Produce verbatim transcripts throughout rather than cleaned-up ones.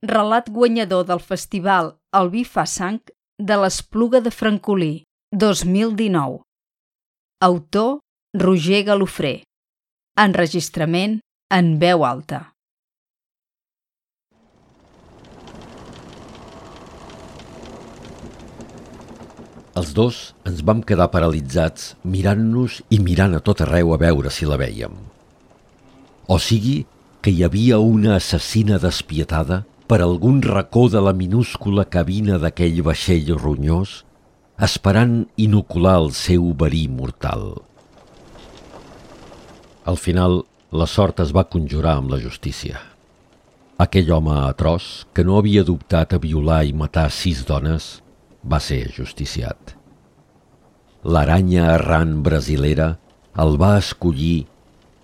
relat guanyador del festival El vi fa sang de l'Espluga de Francolí, dos mil dinou. Autor Roger Galofré. Enregistrament en veu alta. Els dos ens vam quedar paralitzats mirant-nos i mirant a tot arreu a veure si la vèiem. O sigui que hi havia una assassina despietada per algun racó de la minúscula cabina d'aquell vaixell ronyós, esperant inocular el seu verí mortal. Al final, la sort es va conjurar amb la justícia. Aquell home atroç, que no havia dubtat a violar i matar sis dones, va ser justiciat. L'aranya errant brasilera el va escollir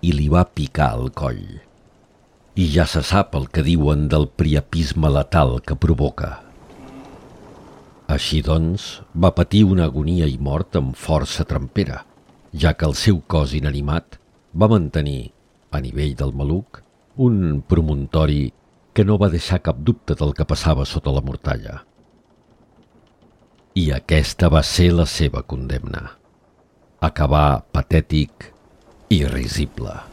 i li va picar el coll. I ja se sap el que diuen del priapisme letal que provoca. Així doncs, va patir una agonia i mort amb força trempera, ja que el seu cos inanimat va mantenir, a nivell del maluc, un promontori que no va deixar cap dubte del que passava sota la mortalla. I aquesta va ser la seva condemna. Acabar patètic i risible.